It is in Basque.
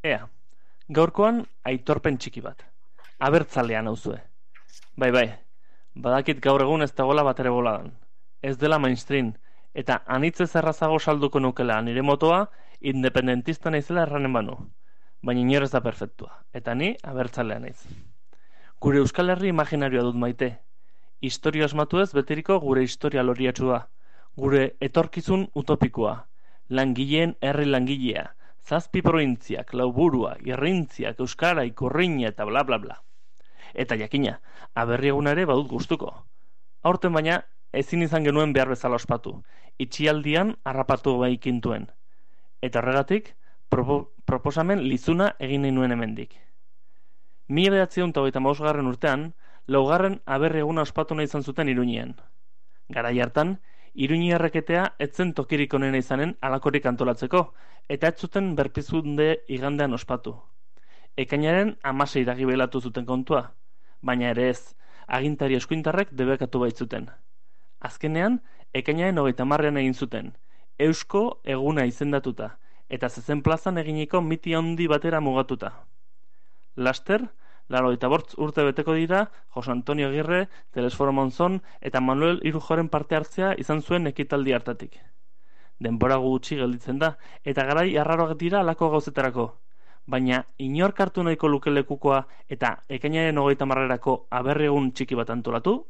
Ea, gaurkoan aitorpen txiki bat. Abertzalean nauzue. Bai, badakit gaur egun ez dagoela batere boladan. Ez dela mainstream, eta anitzez errazago salduko nukela nire motoa independentista naizela erranen banu. Baina inor ez da perfektua, eta ni abertzalea naiz. Gure Euskal Herri imaginarioa dut maite. Historia asmatu ez beteriko gure historia loriatsua. Gure etorkizun utopikoa. Langileen herri langilea. Zazpi probintziak, lauburua, irrintziak, euskara, ikurriña eta bla bla bla. Eta jakina, aberri eguna ere badut gustuko. Aurten baina, ezin izan genuen behar bezala ospatu. Itxialdian harrapatu baikintuen. Eta horregatik, proposamen lizuna egin nahi nuen hemendik. 1935 urtean, laugarren aberri eguna ospatu nahi izan zuten Iruñean. Garai hartan, Iruñi erreketea etzen tokirik onena izanen alakorik antolatzeko, eta ez zuten berpizunde igandean ospatu. Ekainaren 16 iragibelatu zuten kontua, baina ere ez, agintari eskuintarrek debekatu baitzuten. Azkenean, ekainaren 30ean egin zuten, Eusko eguna izendatuta, eta zezen plazan eginiko miti handi batera mugatuta. Laster, 85 urte beteko dira Jose Antonio Agirre, Telesforo Monzon eta Manuel Irujoren parte hartzea izan zuen ekitaldi hartatik. Denbora gutxi gelditzen da, eta garai arraroak dira alako gauzetarako. Baina inork hartu nahiko luke lekukoa eta ekainaren 30erako aberri egun txiki bat antolatu?